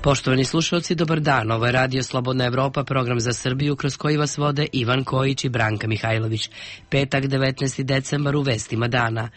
Poštovani slušalci, dobar dan. Ovo je Radio Slobodna Evropa, program za Srbiju kroz koji vas vode Ivan Kojić i Branka Mihajlović. Petak, 19. decembar, u vestima dana.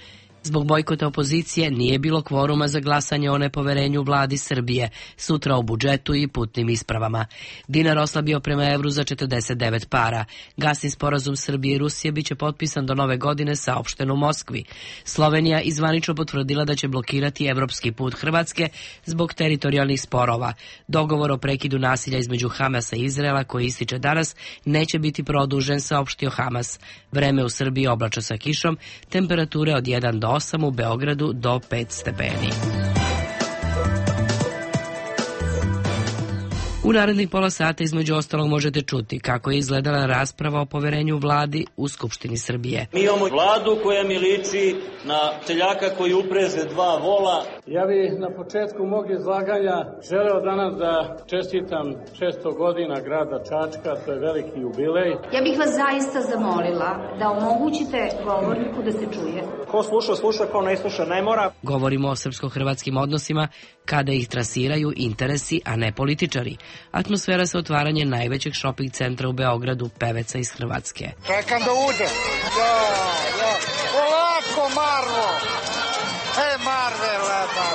Zbog bojkota opozicije nije bilo kvoruma za glasanje o nepoverenju vladi Srbije, sutra o budžetu i putnim ispravama. Dinar oslabio prema evru za 49 para. Gasni sporazum Srbije i Rusije biće potpisan do nove godine, saopšteno u Moskvi. Slovenija izvanično potvrdila da će blokirati evropski put Hrvatske zbog teritorijalnih sporova. Dogovor o prekidu nasilja između Hamasa i Izraela, koji ističe danas, neće biti produžen, saopštio Hamas. Vreme u Srbiji oblačno sa kišom, temperature od 1 do 8, u Beogradu do 5 stepeni. U narednih pola sata između ostalog možete čuti kako je izgledala rasprava o poverenju vladi u Skupštini Srbije. Mi imamo vladu koja mi liči na seljaka koji upreže 2 vola. Ja bih na početku mog izlaganja želeo danas da čestitam 600 godina grada Čačka, to je veliki jubilej. Ja bih vas zaista zamolila da omogućite govorniku da se čuje. Ko sluša, sluša, ko ne sluša, ne mora. Govorimo o srpsko-hrvatskim odnosima kada ih trasiraju interesi, a ne političari. Atmosfera sa otvaranje najvećeg šoping centra u Beogradu, peveca iz Hrvatske. Čekam da uđe. Polako, Marvo! Marve, lepa!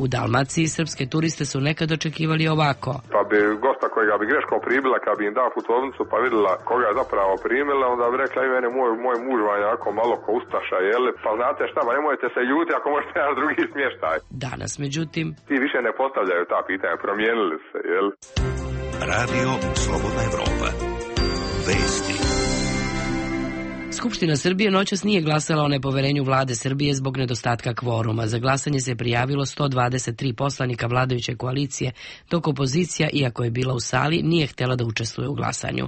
U Dalmaciji srpske turiste su nekad očekivali ovako. Pa bi gosta kojega bi greškom primila, kad bi im dao putovnicu pa vidjela koga je zapravo primila, onda bi rekla i mene moj muž vam je jako malo ko ustaša, jel? Pa znate šta, pa nemojte se ljuti ako možete jedan drugi smještaj. Danas, međutim, ti više ne postavljaju ta pitanja, promijenili se, jel? Radio Slobodna Evropa. Vesti. Skupština Srbije noćas nije glasala o nepoverenju vlade Srbije zbog nedostatka kvoruma. Za glasanje se prijavilo 123 poslanika vladajuće koalicije, dok opozicija, iako je bila u sali, nije htjela da učestvuje u glasanju.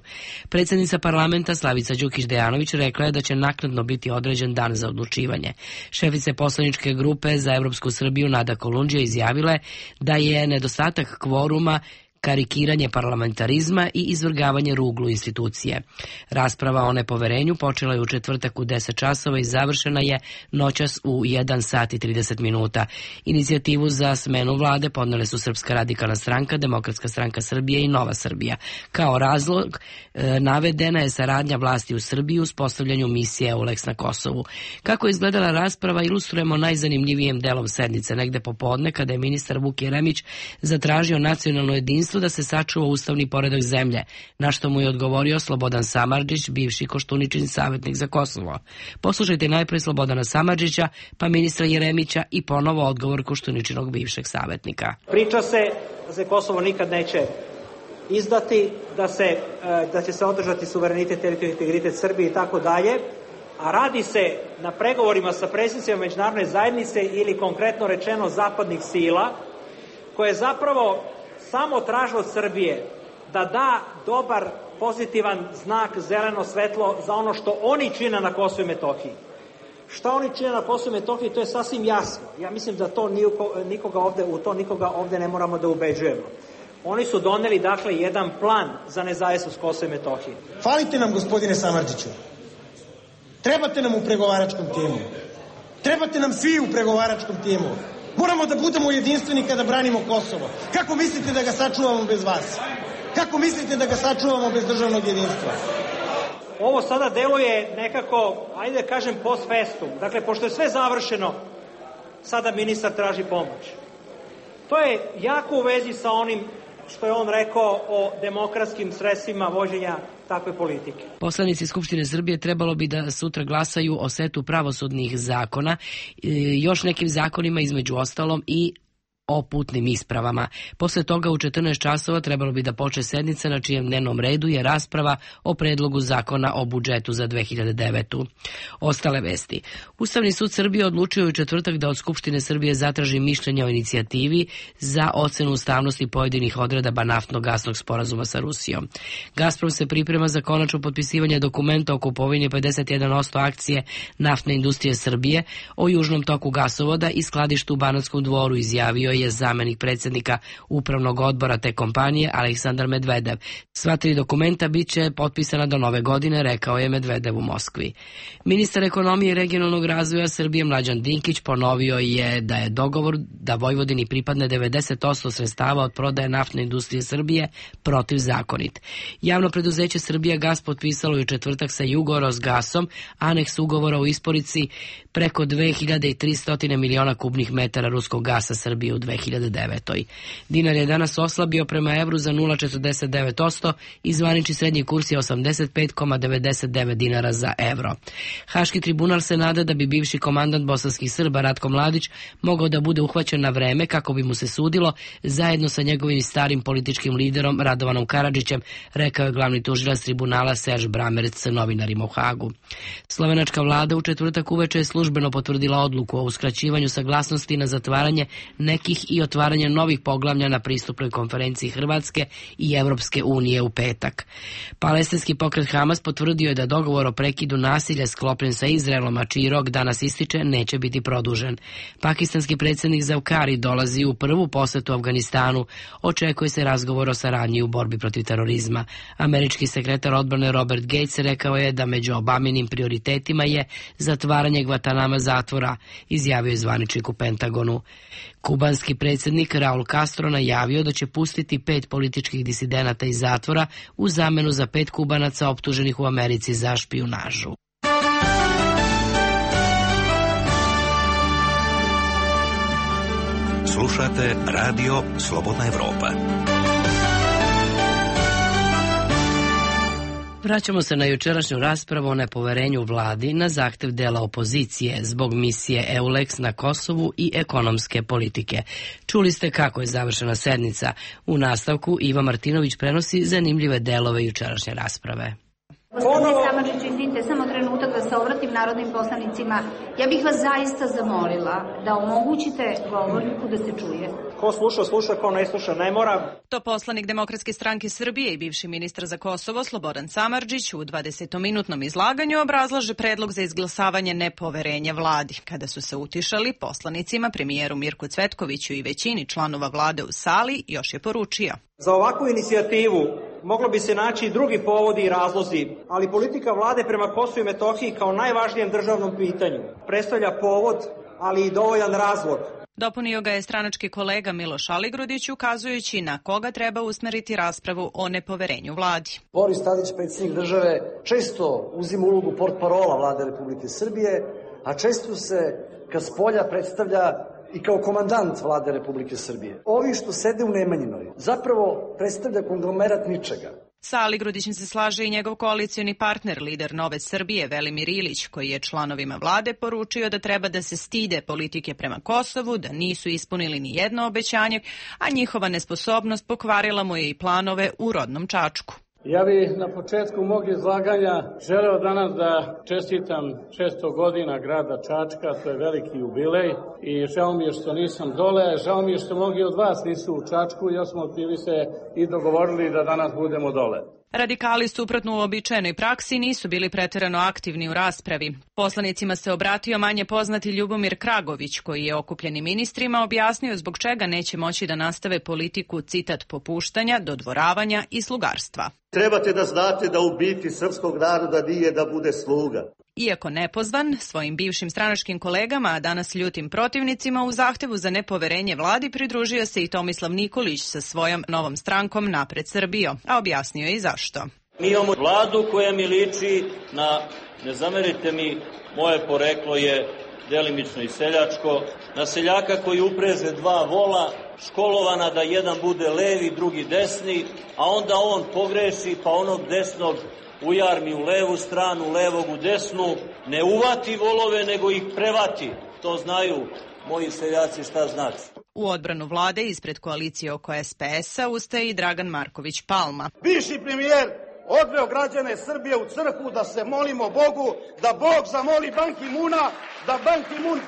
Predsjednica parlamenta Slavica Đukić Dejanović rekla je da će naknadno biti određen dan za odlučivanje. Šefica poslaničke grupe za Evropsku Srbiju Nada Kolundžija izjavila je da je nedostatak kvoruma karikiranje parlamentarizma i izvrgavanje ruglu institucije. Rasprava o nepoverenju počela je u četvrtak u 10 časova i završena je noćas u 1 sat i 30 minuta. Inicijativu za smenu vlade podnele su Srpska radikalna stranka, Demokratska stranka Srbije i Nova Srbija. Kao razlog navedena je saradnja vlasti u Srbiji u uspostavljanju misije EULEX na Kosovu. Kako je izgledala rasprava ilustrujemo najzanimljivijim delom sednice, negde popodne kada je ministar Vuk Jeremić zatražio nacionalno jedinstvo da se sačuva ustavni poredak zemlje, na što mu je odgovorio Slobodan Samardžić, bivši Koštuničin savjetnik za Kosovo. Poslušajte najprej Slobodana Samardžića, pa ministra Jeremića i ponovo odgovor Koštuničinog bivšeg savjetnika. Priča se da se Kosovo nikad neće izdati, da će se održati suverenitet, teritorijalni integritet Srbije i tako dalje, a radi se na pregovorima sa predstavnicima međunarodne zajednice ili konkretno rečeno zapadnih sila, koje zapravo samo traže od Srbije da da dobar, pozitivan znak, zeleno svetlo za ono što oni čine na Kosovu i Metohiji. Šta oni čine na Kosovu i Metohiji, to je sasvim jasno. Ja mislim da to nikoga ovde ne moramo da ubeđujemo. Oni su doneli, dakle, jedan plan za nezavisnost Kosova i Metohije. Falite nam, gospodine Samardžiću. Trebate nam u pregovaračkom timu. Trebate nam svi u pregovaračkom timu. Moramo da budemo jedinstveni kada branimo Kosovo. Kako mislite da ga sačuvamo bez vas? Kako mislite da ga sačuvamo bez državnog jedinstva? Ovo sada deluje nekako, ajde da kažem, post festum. Dakle, pošto je sve završeno, sada ministar traži pomoć. To je jako u vezi sa onim što je on rekao o demokratskim sredstvima vođenja takve politike. Poslanici Skupštine Srbije trebalo bi da sutra glasaju o setu pravosudnih zakona, još nekim zakonima između ostalom i o putnim ispravama. Posle toga u 14 časova trebalo bi da počne sednica na čijem dnevnom redu je rasprava o predlogu zakona o budžetu za 2009. Ostale vesti. Ustavni sud Srbije odlučio u četvrtak da od Skupštine Srbije zatraži mišljenje o inicijativi za ocenu ustavnosti pojedinih odredaba naftno-gasnog sporazuma sa Rusijom. Gazprom se priprema za konačno potpisivanje dokumenta o kupovini 51% akcije naftne industrije Srbije o južnom toku gasovoda i skladištu u Banatskom Dvoru, izjavio je je zamenik predsjednika upravnog odbora te kompanije Aleksandar Medvedev. Sva 3 dokumenta bit će potpisana do nove godine, rekao je Medvedev u Moskvi. Ministar ekonomije i regionalnog razvoja Srbije Mlađan Dinkić ponovio je da je dogovor da Vojvodini pripadne 90% sredstava od prodaje naftne industrije Srbije protivzakonit. Javno preduzeće Srbijagas potpisalo je u četvrtak sa Jugorosgasom aneks ugovora o isporuci preko 2300 miliona kubnih metara ruskog gasa Srbije u 2009. Dinar je danas oslabio prema evru za 0,49% i zvanični srednji kurs je 85,99 dinara za evro. Haški tribunal se nada da bi bivši komandant bosanskih Srba Ratko Mladić mogao da bude uhvaćen na vreme kako bi mu se sudilo zajedno sa njegovim starim političkim liderom Radovanom Karadžićem, rekao je glavni tužilac tribunala Serž Bramerc novinarima u Hagu. Slovenačka vlada u četvrtak uveče je službeno potvrdila odluku o uskraćivanju saglasnosti na zatvaranje nekih i otvaranje novih poglavlja na pristupnoj konferenciji Hrvatske i Evropske unije u petak. Palestinski pokret Hamas potvrdio je da dogovor o prekidu nasilja sklopljen sa Izraelom, a čiji rok danas ističe, neće biti produžen. Pakistanski predsjednik Zavkari dolazi u prvu posetu Afganistanu. Očekuje se razgovor o saradnji u borbi protiv terorizma. Američki sekretar odbrane Robert Gates rekao je da među Obaminim prioritetima je zatvaranje Guantanama zatvora, izjavio je zvaničnik u Pentagonu. Kubanski predsjednik Raul Castro najavio da će pustiti 5 političkih disidenata iz zatvora u zamenu za 5 Kubanaca optuženih u Americi za špijunažu. Slušate radio Slobodna Evropa. Vraćamo se na jučerašnju raspravu o nepoverenju vladi na zahtev dela opozicije zbog misije EULEX na Kosovu i ekonomske politike. Čuli ste kako je završena sednica. U nastavku Iva Martinović prenosi zanimljive delove jučerašnje rasprave. Gospodine Samardžiću, izvinite, samo trenutak da se obratim narodnim poslanicima. Ja bih vas zaista zamolila da omogućite govorniku da se čuje. Ko sluša, sluša, ko ne sluša, ne mora. To poslanik Demokratske stranke Srbije i bivši ministar za Kosovo Slobodan Samardžić u 20-minutnom izlaganju obrazlaže predlog za izglasavanje nepoverenja vladi. Kada su se utišali, poslanicima, premijeru Mirku Cvetkoviću i većini članova vlade u sali, još je poručio. Za ovakvu inicijativu moglo bi se naći i drugi povodi i razlozi, ali politika vlade prema Kosovu i Metohiji kao najvažnijem državnom pitanju predstavlja povod, ali i dovoljan razlog. Dopunio ga je stranački kolega Miloš Aligrudić, ukazujući na koga treba usmeriti raspravu o nepoverenju vladi. Boris Tadić, predsjednik države, često uzima ulogu portparola vlade Republike Srbije, a često se ka spolja predstavlja i kao komandant vlade Republike Srbije. Ovi što sede u Nemanjinoj zapravo predstavlja konglomerat ničega. Sa Aligrudićem se slaže i njegov koalicioni partner, lider Nove Srbije, Velimir Ilić, koji je članovima vlade poručio da treba da se stide politike prema Kosovu, da nisu ispunili ni jedno obećanje, a njihova nesposobnost pokvarila mu je i planove u rodnom Čačku. Ja bih na početku mog izlaganja želeo danas da čestitam 600 godina grada Čačka, to je veliki jubilej i žao mi je što nisam dole, žao mi je što mnogi od vas nisu u Čačku, jer smo bili se i dogovorili da danas budemo dole. Radikali suprotno uobičajenoj praksi nisu bili preterano aktivni u raspravi. Poslanicima se obratio manje poznati Ljubomir Kragović, koji je okupljenim ministrima objasnio zbog čega neće moći da nastave politiku, citat, popuštanja, dodvoravanja i slugarstva. Trebate da znate da u biti srpskog naroda nije da bude sluga. Iako nepozvan, svojim bivšim stranačkim kolegama, a danas ljutim protivnicima, u zahtevu za nepoverenje vladi pridružio se i Tomislav Nikolić sa svojom novom strankom Napred Srbijo, a objasnio je i zašto. Mi imamo vladu koja mi liči na, ne zamerite mi, moje poreklo je delimično i seljačko, na seljaka koji upreže 2 vola, školovana da jedan bude levi, drugi desni, a onda on pogreši pa onog desnog ujarmi u levu stranu, levog u desnu, ne uvati volove, nego ih prevati. To znaju moji seljaci šta znači. U odbranu vlade ispred koalicije oko SPS-a ustaje i Dragan Marković Palma. Bivši premijer odveo građane Srbije u crkvu da se molimo Bogu, da Bog zamoli Ban Ki-muna, da Ban Ki-mun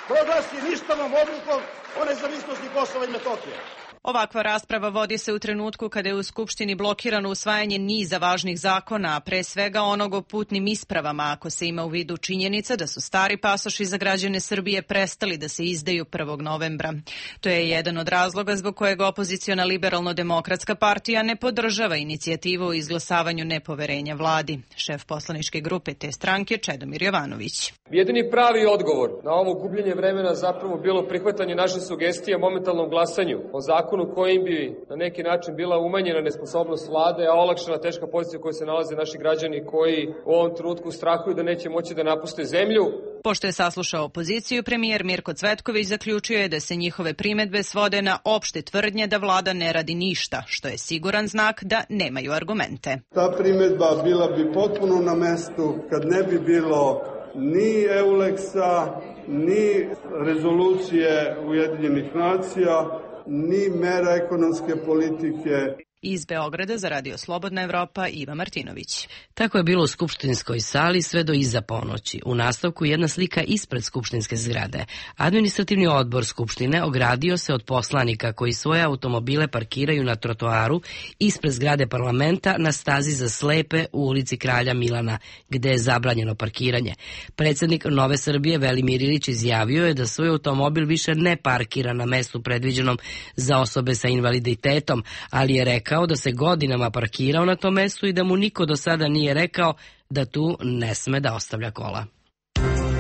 proglasi ništavom odlukom o nezavisnosti Kosova i Metohije. Ovakva rasprava vodi se u trenutku kada je u Skupštini blokirano usvajanje niza važnih zakona, a pre svega onog o putnim ispravama, ako se ima u vidu činjenica da su stari pasoši za građane Srbije prestali da se izdaju 1. novembra. To je jedan od razloga zbog kojeg opoziciona Liberalno-demokratska partija ne podržava inicijativu o izglasavanju nepoverenja vladi. Šef poslaničke grupe te stranke Čedomir Jovanović. Jedini pravi odgovor na ovo gubljenje vremena zapravo bilo prihvatanje naše sugestije o momentalnom glasanju o zakonu kojim bi na neki način bila umanjena nesposobnost vlade, a olakšana teška pozicija u kojoj se nalaze naši građani koji u ovom trenutku strahuju da neće moći da napuste zemlju. Pošto je saslušao opoziciju, premijer Mirko Cvetković zaključio je da se njihove primedbe svode na opšte tvrdnje da vlada ne radi ništa, što je siguran znak da nemaju argumente. Ta primedba bila bi potpuno na mestu kad ne bi bilo ni Euleksa, ni rezolucije Ujedinjenih nacija, ni mera ekonomske politike. Iz Beograda za Radio Slobodna Evropa Iva Martinović. Tako je bilo u skupštinskoj sali sve do iza ponoći. U nastavku jedna slika ispred skupštinske zgrade. Administrativni odbor Skupštine ogradio se od poslanika koji svoje automobile parkiraju na trotoaru ispred zgrade parlamenta na stazi za slepe u ulici Kralja Milana, gde je zabranjeno parkiranje. Predsjednik Nove Srbije Velimir Ilić izjavio je da svoj automobil više ne parkira na mestu predviđenom za osobe sa invaliditetom, ali je rekao da se godinama parkirao na tom mestu i da mu niko do sada nije rekao da tu ne sme da ostavlja kola.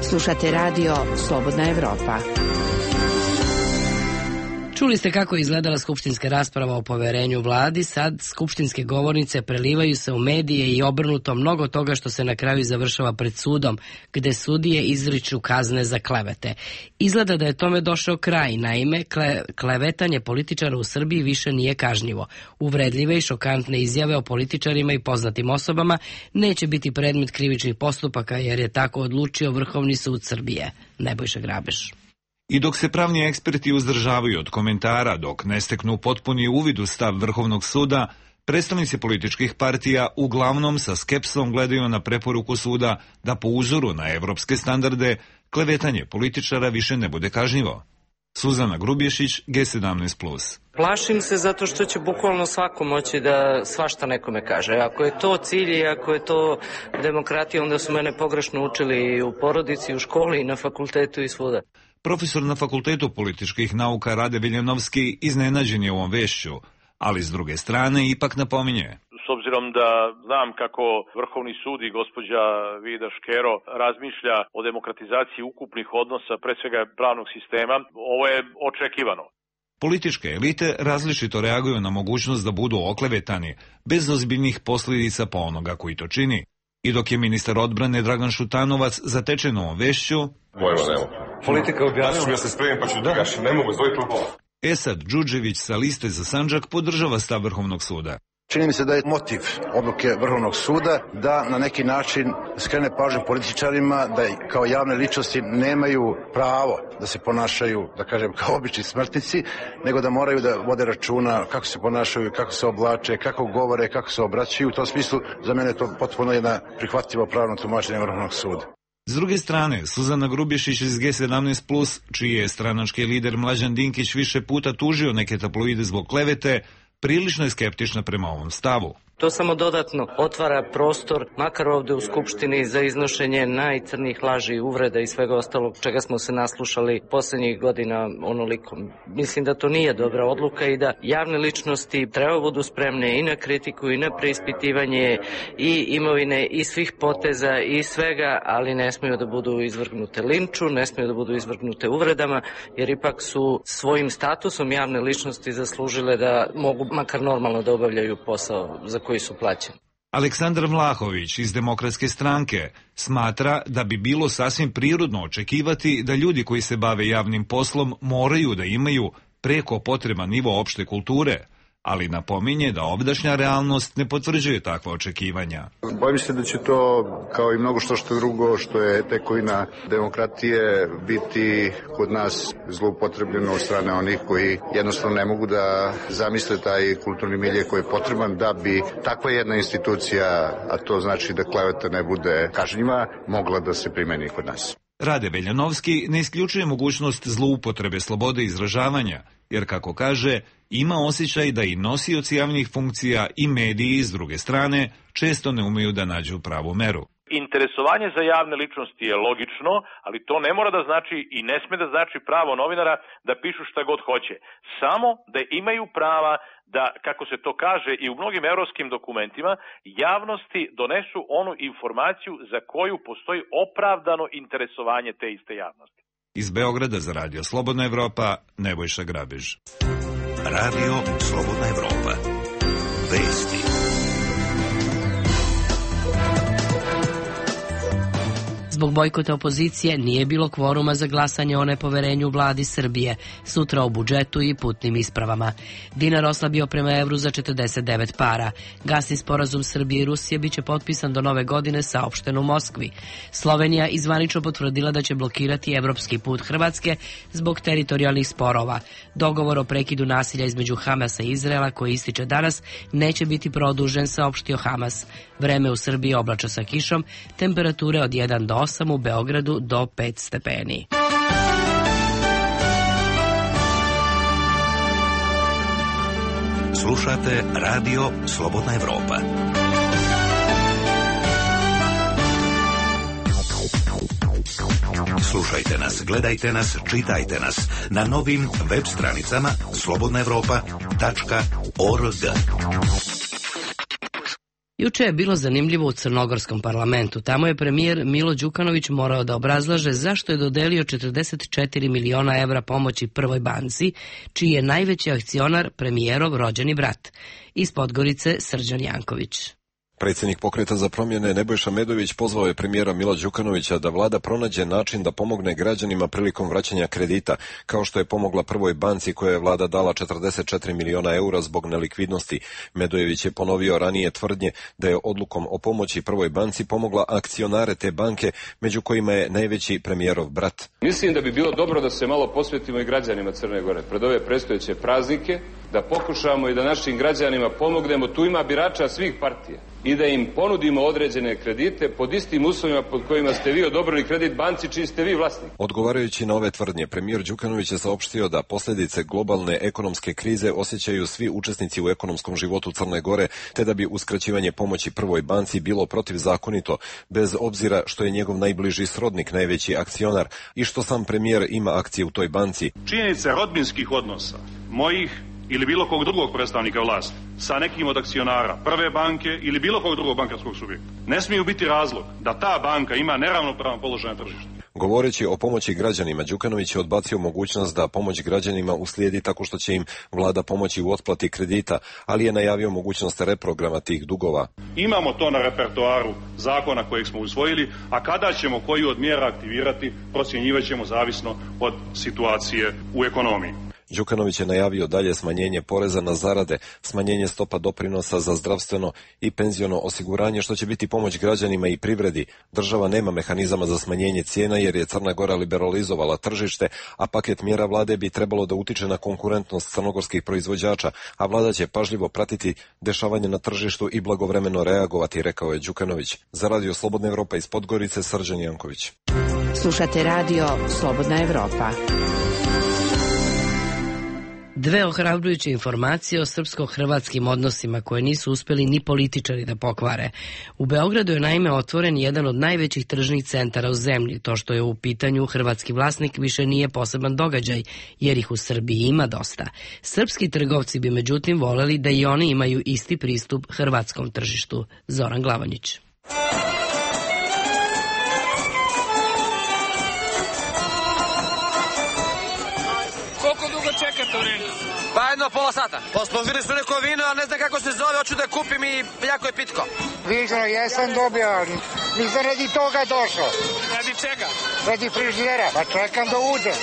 Slušate radio Slobodna Evropa. Čuli ste kako je izgledala skupštinska rasprava o poverenju vladi, sad skupštinske govornice prelivaju se u medije i obrnuto mnogo toga što se na kraju završava pred sudom, gde sudije izriču kazne za klevete. Izgleda da je tome došao kraj, naime, klevetanje političara u Srbiji više nije kažnjivo. Uvredljive i šokantne izjave o političarima i poznatim osobama neće biti predmet krivičnih postupaka, jer je tako odlučio Vrhovni sud Srbije. Nebojša Grabeš. I dok se pravni eksperti uzdržavaju od komentara, dok ne steknu potpuni uvid u stav Vrhovnog suda, predstavnici političkih partija uglavnom sa skepsom gledaju na preporuku suda da po uzoru na evropske standarde klevetanje političara više ne bude kažnjivo. Suzana Grubješić, G17+. Plašim se zato što će bukvalno svako moći da svašta nekome kaže. Ako je to cilj i ako je to demokratija, onda su mene pogrešno učili i u porodici, i u školi, i na fakultetu i svuda. Profesor na Fakultetu političkih nauka Rade Viljanovski iznenađen je ovom vešću, ali s druge strane ipak napominje. S obzirom da znam kako Vrhovni sud i gospođa Vida Škero razmišlja o demokratizaciji ukupnih odnosa, pre svega pravnog sistema, ovo je očekivano. Političke elite različito reaguju na mogućnost da budu oklevetani, bez ozbiljnih posljedica po onoga koji to čini. I dok je ministar odbrane Dragan Šutanovac zatečen ovom vešću, politika objasnila. Ja se spremim pa ću gaš, ne mogu zvojiti u pola. Esad Đuđević sa liste za Sandžak podržava stav Vrhovnog suda. Čini mi se da je motiv odluke Vrhovnog suda da na neki način skrene pažnju političarima da kao javne ličnosti nemaju pravo da se ponašaju, da kažem, kao obični smrtnici, nego da moraju da vode računa kako se ponašaju, kako se oblače, kako govore, kako se obraćaju. U tom smislu za mene je to potpuno jedna prihvatljivo pravno tumačenje Vrhovnog suda. S druge strane, Suzana Grubješić iz G17+, čiji je stranački lider Mlađan Dinkić više puta tužio neke tabloide zbog klevete, prilično je skeptična prema ovom stavu. To samo dodatno otvara prostor, makar ovde u Skupštini, za iznošenje najcrnijih laži, uvreda i svega ostalog čega smo se naslušali poslednjih godina onoliko. Mislim da to nije dobra odluka i da javne ličnosti treba budu spremne i na kritiku i na preispitivanje i imovine i svih poteza i svega, ali ne smiju da budu izvrgnute linču, ne smiju da budu izvrgnute uvredama, jer ipak su svojim statusom javne ličnosti zaslužile da mogu makar normalno da obavljaju posao za koji su plaćeni. Aleksandar Vlahović iz Demokratske stranke smatra da bi bilo sasvim prirodno očekivati da ljudi koji se bave javnim poslom moraju da imaju preko potreban nivo opšte kulture, ali napominje da ovdašnja realnost ne potvrđuje takva očekivanja. Bojim se da će to, kao i mnogo što drugo, što je tekovina demokratije, biti kod nas zloupotrebljeno od strane onih koji jednostavno ne mogu da zamisle taj kulturni milje koji je potreban da bi takva jedna institucija, a to znači da kleveta ne bude kažnjiva, mogla da se primeni kod nas. Rade Veljanovski ne isključuje mogućnost zloupotrebe slobode izražavanja, jer kako kaže, ima osjećaj da i nosioci javnih funkcija i mediji s druge strane često ne umeju da nađu pravu meru. Interesovanje za javne ličnosti je logično, ali to ne mora da znači i ne sme da znači pravo novinara da pišu šta god hoće. Samo da imaju prava da, kako se to kaže i u mnogim evropskim dokumentima, javnosti donesu onu informaciju za koju postoji opravdano interesovanje te iste javnosti. Iz Beograda za Radio Slobodna Evropa, Nebojša Grabež. Radio Slobodna Evropa. Vesti. Zbog bojkota opozicije nije bilo kvoruma za glasanje o nepoverenju vladi Srbije, sutra o budžetu i putnim ispravama. Dinar oslabio prema evru za 49 para. Gasni sporazum Srbije i Rusije biće potpisan do nove godine, saopšteno u Moskvi. Slovenija izvanično potvrdila da će blokirati evropski put Hrvatske zbog teritorijalnih sporova. Dogovor o prekidu nasilja između Hamasa i Izraela, koji ističe danas, neće biti produžen, saopštio Hamas. Vreme u Srbiji oblačno sa kišom, temperature od 1 do 8, u Beogradu do 5 stepeni. Slušate Radio Slobodna Evropa. Slušajte nas, gledajte nas, čitajte nas na novim web stranicama slobodnaevropa.org. Juče je bilo zanimljivo u crnogorskom parlamentu. Tamo je premijer Milo Đukanović morao da obrazlaže zašto je dodelio 44 miliona evra pomoći Prvoj banci, čiji je najveći akcionar premijerov rođeni brat. Iz Podgorice Srđan Janković. Predsjednik Pokreta za promjene Nebojša Medović pozvao je premijera Mila Đukanovića da vlada pronađe način da pomogne građanima prilikom vraćanja kredita, kao što je pomogla Prvoj banci koja je vlada dala 44 miliona eura zbog nelikvidnosti. Medojević je ponovio ranije tvrdnje da je odlukom o pomoći Prvoj banci pomogla akcionare te banke, među kojima je najveći premijerov brat. Mislim da bi bilo dobro da se malo posvetimo i građanima Crne Gore pred ove predstojeće praznike, da pokušamo i da našim građanima pomognemo. Tu ima birača svih partija i da im ponudimo određene kredite pod istim uslovima pod kojima ste vi odobrili kredit banci čiji ste vi vlasnik. Odgovarajući na ove tvrdnje, premijer Đukanović je saopštio da posljedice globalne ekonomske krize osjećaju svi učesnici u ekonomskom životu Crne Gore, te da bi uskraćivanje pomoći Prvoj banci bilo protivzakonito, bez obzira što je njegov najbliži srodnik najveći akcionar i što sam premijer ima akcije u toj banci. Činjenice rodbinskih odnosa, mojih ili bilo kog drugog predstavnika vlasti sa nekim od akcionara Prve banke ili bilo kog drugog bankarskog subjekta ne smiju biti razlog da ta banka ima neravnopravan položaj na tržištu. Govoreći o pomoći građanima, Đukanović je odbacio mogućnost da pomoć građanima uslijedi tako što će im vlada pomoći u otplati kredita, ali je najavio mogućnost reprograma tih dugova. Imamo to na repertoaru zakona kojeg smo usvojili, a kada ćemo koju od mjera aktivirati, procjenjivat ćemo zavisno od situacije u ekonomiji. Đukanović je najavio dalje smanjenje poreza na zarade, smanjenje stopa doprinosa za zdravstveno i penziono osiguranje, što će biti pomoć građanima i privredi. Država nema mehanizama za smanjenje cijena jer je Crna Gora liberalizovala tržište, a paket mjera vlade bi trebalo da utiče na konkurentnost crnogorskih proizvođača, a vlada će pažljivo pratiti dešavanje na tržištu i blagovremeno reagovati, rekao je Đukanović. Za Radio Slobodna Evropa iz Podgorice, Srđan Janković. Slušate Radio Slobodna Evropa. Dve ohrabrujuće informacije o srpsko-hrvatskim odnosima koje nisu uspeli ni političari da pokvare. U Beogradu je naime otvoren jedan od najvećih tržnih centara u zemlji. To što je u pitanju hrvatski vlasnik više nije poseban događaj, jer ih u Srbiji ima dosta. Srpski trgovci bi međutim voleli da i oni imaju isti pristup hrvatskom tržištu. Zoran Glavanić. Koliko dugo čekate u redu? Pa jedno pola sata. Posponzili su neko vino, a ne znam kako se zove, hoću da kupim i jako je pitko. Vižno, jesam dobio, ali nisam radi toga došao. Radi čega? Radi frižidera, pa čekam da uđe.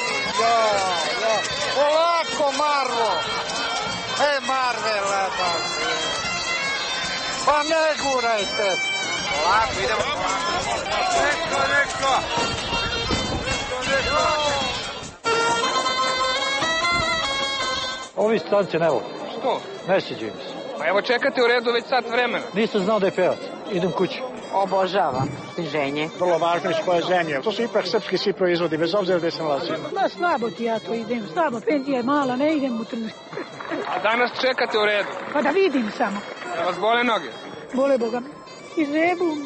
Ja. Polako, Marvo. Marvela, pa ne gurajte. Polako, idemo. Neko. Ovi stance ne vole. Što? Ne sviđaju mi se. Pa evo čekate u redu već sat vremena. Nisam znao da je pevac. Idem kući. Obožavam stiženje. Vrlo važno iz koje zemlje. To su ipak srpski svi proizvodi, bez obzira gde se nalazi. Ma slabo ti ja to idem, slabo, penzija je mala, ne idem u tržište. A danas čekate u redu? Pa da vidim samo. Da vas bole noge? Bole Boga. I zebu.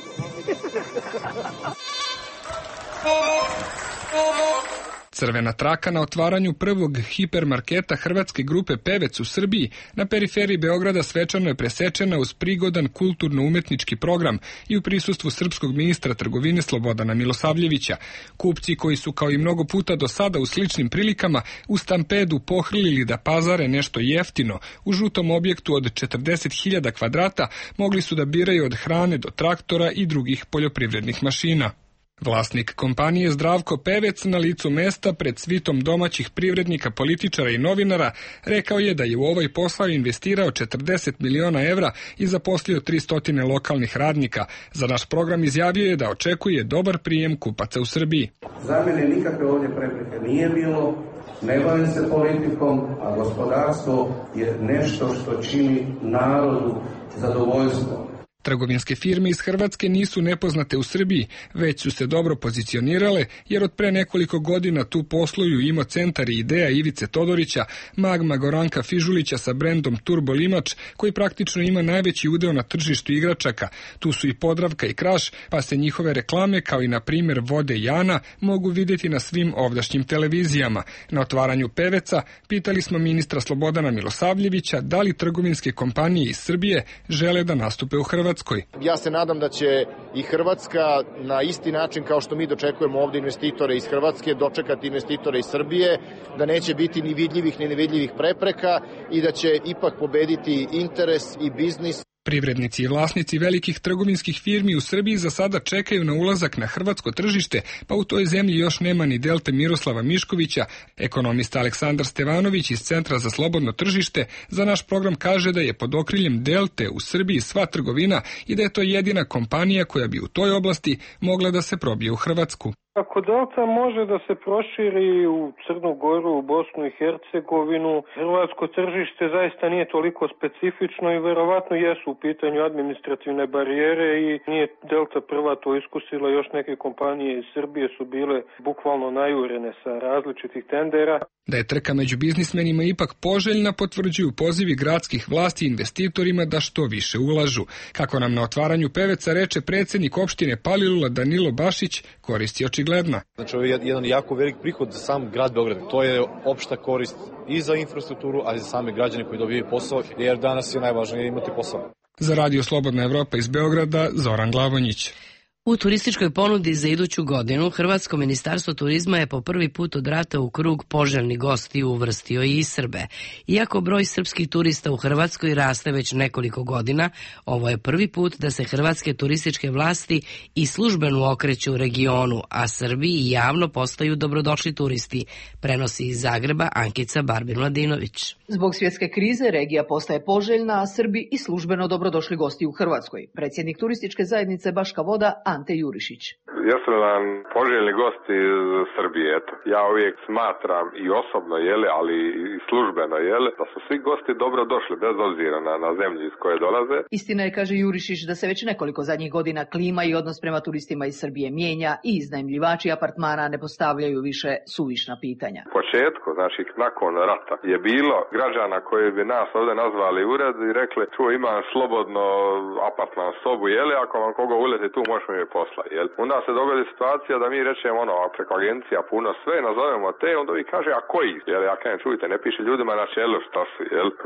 Crvena traka na otvaranju prvog hipermarketa hrvatske grupe Pevec u Srbiji na periferiji Beograda svečano je presečena uz prigodan kulturno-umetnički program i u prisustvu srpskog ministra trgovine Slobodana Milosavljevića. Kupci koji su kao i mnogo puta do sada u sličnim prilikama u stampedu pohrlili da pazare nešto jeftino, u žutom objektu od 40.000 kvadrata mogli su da biraju od hrane do traktora i drugih poljoprivrednih mašina. Vlasnik kompanije Zdravko Pevec na licu mesta pred svitom domaćih privrednika, političara i novinara rekao je da je u ovaj posao investirao 40 miliona evra i zaposlio 300 lokalnih radnika. Za naš program izjavio je da očekuje dobar prijem kupaca u Srbiji. Za mene nikakve ovdje prepreke nije bilo, ne bavim se politikom, a gospodarstvo je nešto što čini narodu zadovoljstvo. Trgovinske firme iz Hrvatske nisu nepoznate u Srbiji, već su se dobro pozicionirale, jer od pre nekoliko godina tu posluju Imo Centar i Ideja Ivice Todorića, Magma Goranka Fižulića sa brendom Turbo Limač, koji praktično ima najveći udeo na tržištu igračaka. Tu su i Podravka i Kraš, pa se njihove reklame, kao i na primjer Vode Jana, mogu vidjeti na svim ovdašnjim televizijama. Na otvaranju Peveca pitali smo ministra Slobodana Milosavljevića da li trgovinske kompanije iz Srbije žele da nastupe u Hrvatskoj. Ja se nadam da će i Hrvatska na isti način kao što mi dočekujemo ovdje investitore iz Hrvatske, dočekati investitore iz Srbije, da neće biti ni vidljivih ni nevidljivih prepreka i da će ipak pobediti interes i biznis. Privrednici i vlasnici velikih trgovinskih firmi u Srbiji za sada čekaju na ulazak na hrvatsko tržište, pa u toj zemlji još nema ni Delte Miroslava Miškovića. Ekonomista Aleksandar Stevanović iz Centra za slobodno tržište za naš program kaže da je pod okriljem Delte u Srbiji sva trgovina i da je to jedina kompanija koja bi u toj oblasti mogla da se probije u Hrvatsku. Ako Delta može da se proširi u Crnu Goru, u Bosnu i Hercegovinu, hrvatsko tržište zaista nije toliko specifično i verovatno jesu u pitanju administrativne barijere i nije Delta prva to iskusila, još neke kompanije iz Srbije su bile bukvalno najurene sa različitih tendera. Da je trka među biznismenima ipak poželjna potvrđuju pozivi gradskih vlasti investitorima da što više ulažu. Kako nam na otvaranju Peveca reče predsjednik opštine Palilula Danilo Bašić, koristi očigledna. Znači, ovo je jedan jako velik prihod za sam grad Beograd. To je opšta korist i za infrastrukturu, ali i za same građane koji dobijaju posao, jer danas je najvažnije imati posao. Za Radio Slobodna Evropa iz Beograda, Zoran Glavonjić. U turističkoj ponudi za iduću godinu Hrvatsko ministarstvo turizma je po prvi put od rata u krug poželjnih gostiju uvrstio i Srbe. Iako broj srpskih turista u Hrvatskoj raste već nekoliko godina, ovo je prvi put da se hrvatske turističke vlasti i službeno okreću u regionu, a Srbi i javno postaju dobrodošli turisti, prenosi iz Zagreba Ankica Barbin-Mladinović. Zbog svjetske krize regija postaje poželjna, a Srbi i službeno dobrodošli gosti u Hrvatskoj. Predsjednik turističke zajednice Baška Voda Ante Jurišić. Jesu nam poželjni gosti iz Srbije, eto. Ja uvijek smatram i osobno, ali i službeno, da su svi gosti dobro došli, bez obzira na zemlju iz koje dolaze. Istina je, kaže Jurišić, da se već nekoliko zadnjih godina klima i odnos prema turistima iz Srbije mijenja i iznajmljivači apartmana ne postavljaju više suvišna pitanja. U početku, znači nakon rata, je bilo građana koji bi nas ovdje nazvali ured i rekli, čuo, imam slobodno apartman sobu, ako vam koga uleti tu možemo je posla, Onda se dogodi situacija da mi rečemo preko agencija puno sve, nazovemo te, onda vi kaže, a koji? Ja kažem, čujte, ne piše ljudima na čelu šta su,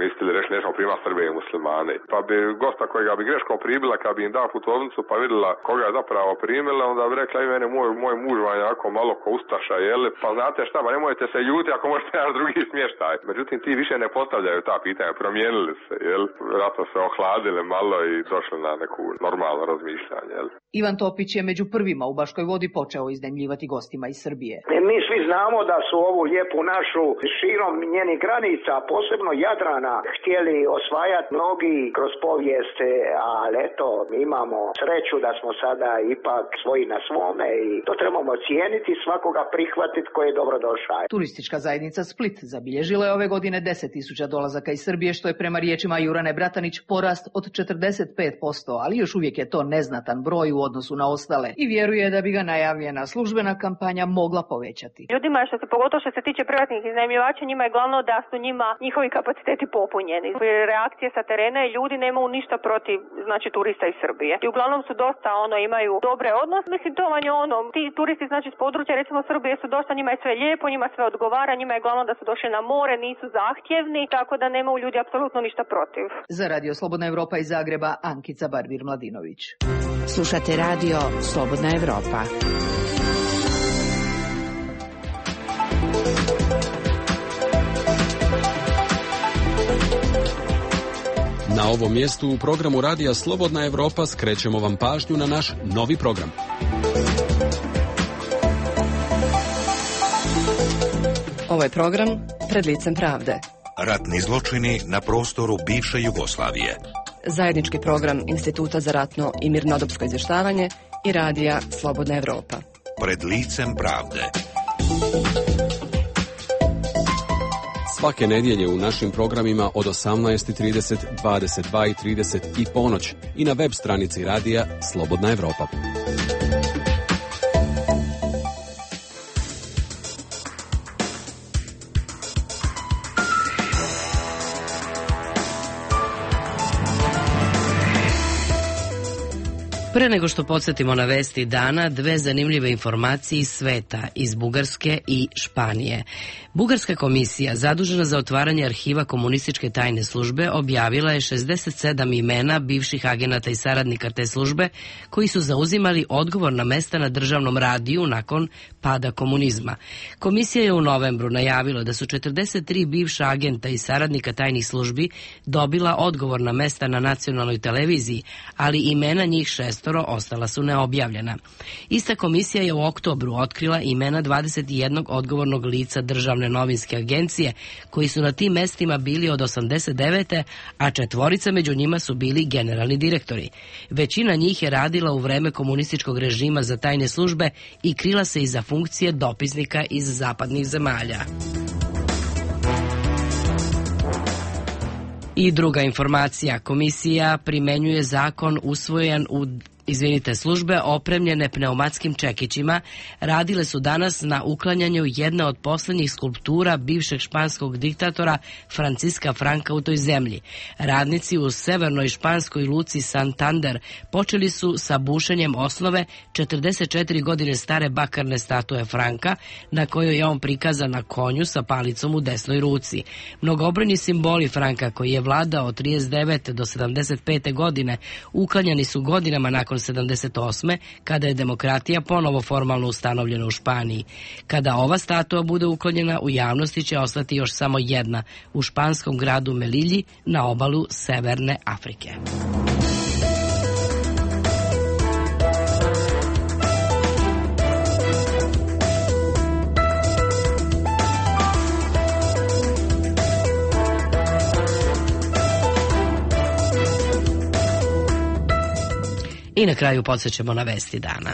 mislili reći nešto prima Srbe i muslimane. Pa bi gosta kojega bi greškom pribila, kad bi im dao putovnicu pa vidjela koga je zapravo primila, onda bi rekla, i mene moj muž vam je jako malo ko ustaša, pa znate šta, pa nemojte se ljuti ako možete naš drugi smještaj. Međutim, ti više ne postavljaju ta pitanja, promijenili se, vjerojatno se ohladili malo i došli na neku normalno razmišljanje, Ivan Topić je među prvima u Baškoj Vodi počeo iznajmljivati gostima iz Srbije. Mi svi znamo da su ovu lijepu našu širom njenih granica, posebno Jadrana, htjeli osvajati mnogi kroz povijest, ali eto, imamo sreću da smo sada ipak svoji na svome i to trebamo cijeniti, svakoga prihvatiti koji je dobro došao. Turistička zajednica Split zabilježila je ove godine 10.000 dolazaka iz Srbije, što je prema riječima Jurane Bratanić porast od 45%, ali još uvijek je to neznatan broj u odnosu na ostale i vjeruje da bi ga najavljena službena kampanja mogla povećati. Ljudima, pogotovo što se tiče privatnih iznajmljivača, njima je glavno da su njima njihovi kapaciteti popunjeni. Reakcije sa terena i ljudi nemaju ništa protiv, znači, turista iz Srbije. I uglavnom su dosta, imaju dobre odnose. Mislim, to vam je ti turisti, znači, s područja, recimo Srbije, su dosta, njima je sve lijepo, njima sve odgovara, njima je glavno da su došli na more, nisu zahtjevni, tako da nemaju ljudi apsolutno ništa protiv. Za Radio Slobodna Evropa iz Zagreba, Ankica Barbir-Mladinović. Slušate Radio Slobodna Evropa. Na ovom mjestu u programu Radija Slobodna Evropa skrećemo vam pažnju na naš novi program. Ovo je program Pred licem pravde. Ratni zločini na prostoru bivše Jugoslavije. Zajednički program Instituta za ratno i mirnodopsko izvještavanje i Radija Slobodna Evropa. Pred licem pravde. Svake nedjelje u našim programima od 18:30, 22:30 i ponoć i na web stranici Radija Slobodna Evropa. Pre nego što podsjetimo na vesti dana, dve zanimljive informacije iz sveta, iz Bugarske i Španije. Bugarska komisija, zadužena za otvaranje arhiva komunističke tajne službe, objavila je 67 imena bivših agenata i saradnika te službe koji su zauzimali odgovorna mesta na državnom radiju nakon pada komunizma. Komisija je u novembru najavila da su 43 bivša agenta i saradnika tajnih službi dobila odgovorna mesta na nacionalnoj televiziji, ali imena njih 6 ostala su neobjavljena. Ista komisija je u oktobru otkrila imena 21 odgovornog lica državne novinske agencije koji su na tim mestima bili od 89. a 4 među njima su bili generalni direktori. Većina njih je radila u vreme komunističkog režima za tajne službe i krila se iza funkcije dopisnika iz zapadnih zemalja. I druga informacija, komisija primenjuje zakon usvojen u službe opremljene pneumatskim čekićima radile su danas na uklanjanju jedne od posljednjih skulptura bivšeg španskog diktatora Franciska Franka u toj zemlji. Radnici u severnoj španskoj luci Santander počeli su sa bušenjem osnove 44 godine stare bakarne statue Franka, na kojoj je on prikazan na konju sa palicom u desnoj ruci. Mnogobrojni simboli Franka, koji je vladao od 39. do 75. godine, uklanjani su godinama nakon 78. kada je demokratija ponovo formalno ustanovljena u Španiji. Kada ova statua bude uklonjena, u javnosti će ostati još samo jedna, u španskom gradu Melilji na obalu Severne Afrike. I na kraju podsjećamo na vesti dana.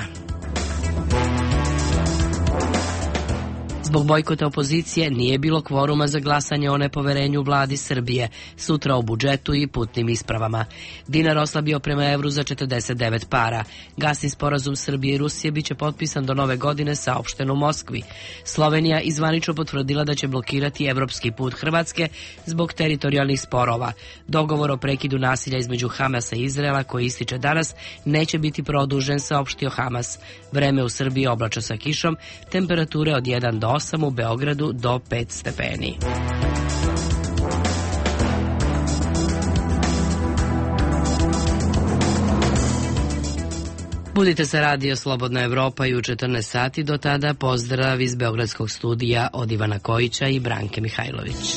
Zbog bojkota opozicije nije bilo kvoruma za glasanje o nepoverenju vladi Srbije, sutra o budžetu i putnim ispravama. Dinar oslabio prema evru za 49 para. Gasni sporazum Srbije i Rusije biće potpisan do nove godine, saopšteno u Moskvi. Slovenija izvanično potvrdila da će blokirati evropski put Hrvatske zbog teritorijalnih sporova. Dogovor o prekidu nasilja između Hamasa i Izraela, koji ističe danas, neće biti produžen, saopštio Hamas. Vreme u Srbiji oblačno sa kišom, temperature od 1 do 8, u Beogradu do 5 stepeni. Budite sa Radio Slobodna Evropa i u 14 sati. Do tada pozdrav iz Beogradskog studija od Ivana Kojića i Branke Mihajlović.